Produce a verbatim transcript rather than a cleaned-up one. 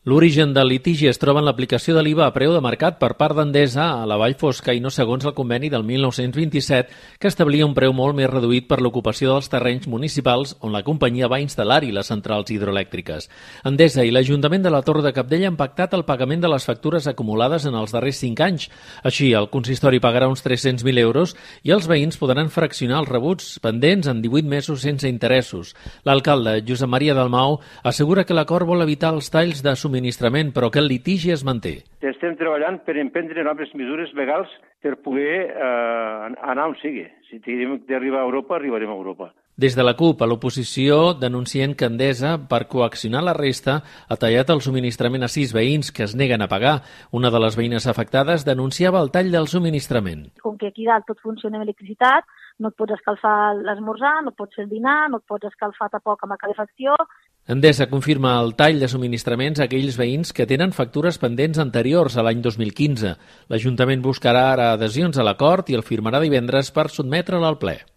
L'origen del litigi es troba en l'aplicació de l'I V A a preu de mercat per part d'Endesa a la Vall Fosca i no segons el conveni del mil nou-cents vint-i-set que establia un preu molt més reduït per l'ocupació dels terrenys municipals on la companyia va instal·lar-hi les centrals hidroelèctriques. Endesa i l'Ajuntament de la Torre de Cabdella han pactat el pagament de les factures acumulades en els darrers cinc anys. Així, el consistori pagarà uns tres-cents mil euros i els veïns podran fraccionar els rebuts pendents en divuit mesos sense interessos. L'alcalde, Josep Maria Dalmau, assegura que l'acord vol evitar els talls de subministrament, però que el litigi es manté. Estem treballant per emprendre noves mesures legals per poder eh, anar on sigui. Si tenim d'arribar a Europa, arribarem a Europa. Des de la CUP, a l'oposició, denuncien que Endesa, per coaccionar la resta, ha tallat el subministrament a sis veïns que es neguen a pagar. Una de les veïnes afectades denunciava el tall del subministrament. Com que aquí dalt tot funciona amb electricitat, no et pots escalfar l'esmorzar, no et pots fer el dinar, no et pots escalfar tampoc amb la calefacció. Endesa confirma el tall de subministraments a aquells veïns que tenen factures pendents anteriors a l'any dos mil quinze. L'Ajuntament buscarà ara adhesions a l'acord i el firmarà divendres per sotmetre'l al ple.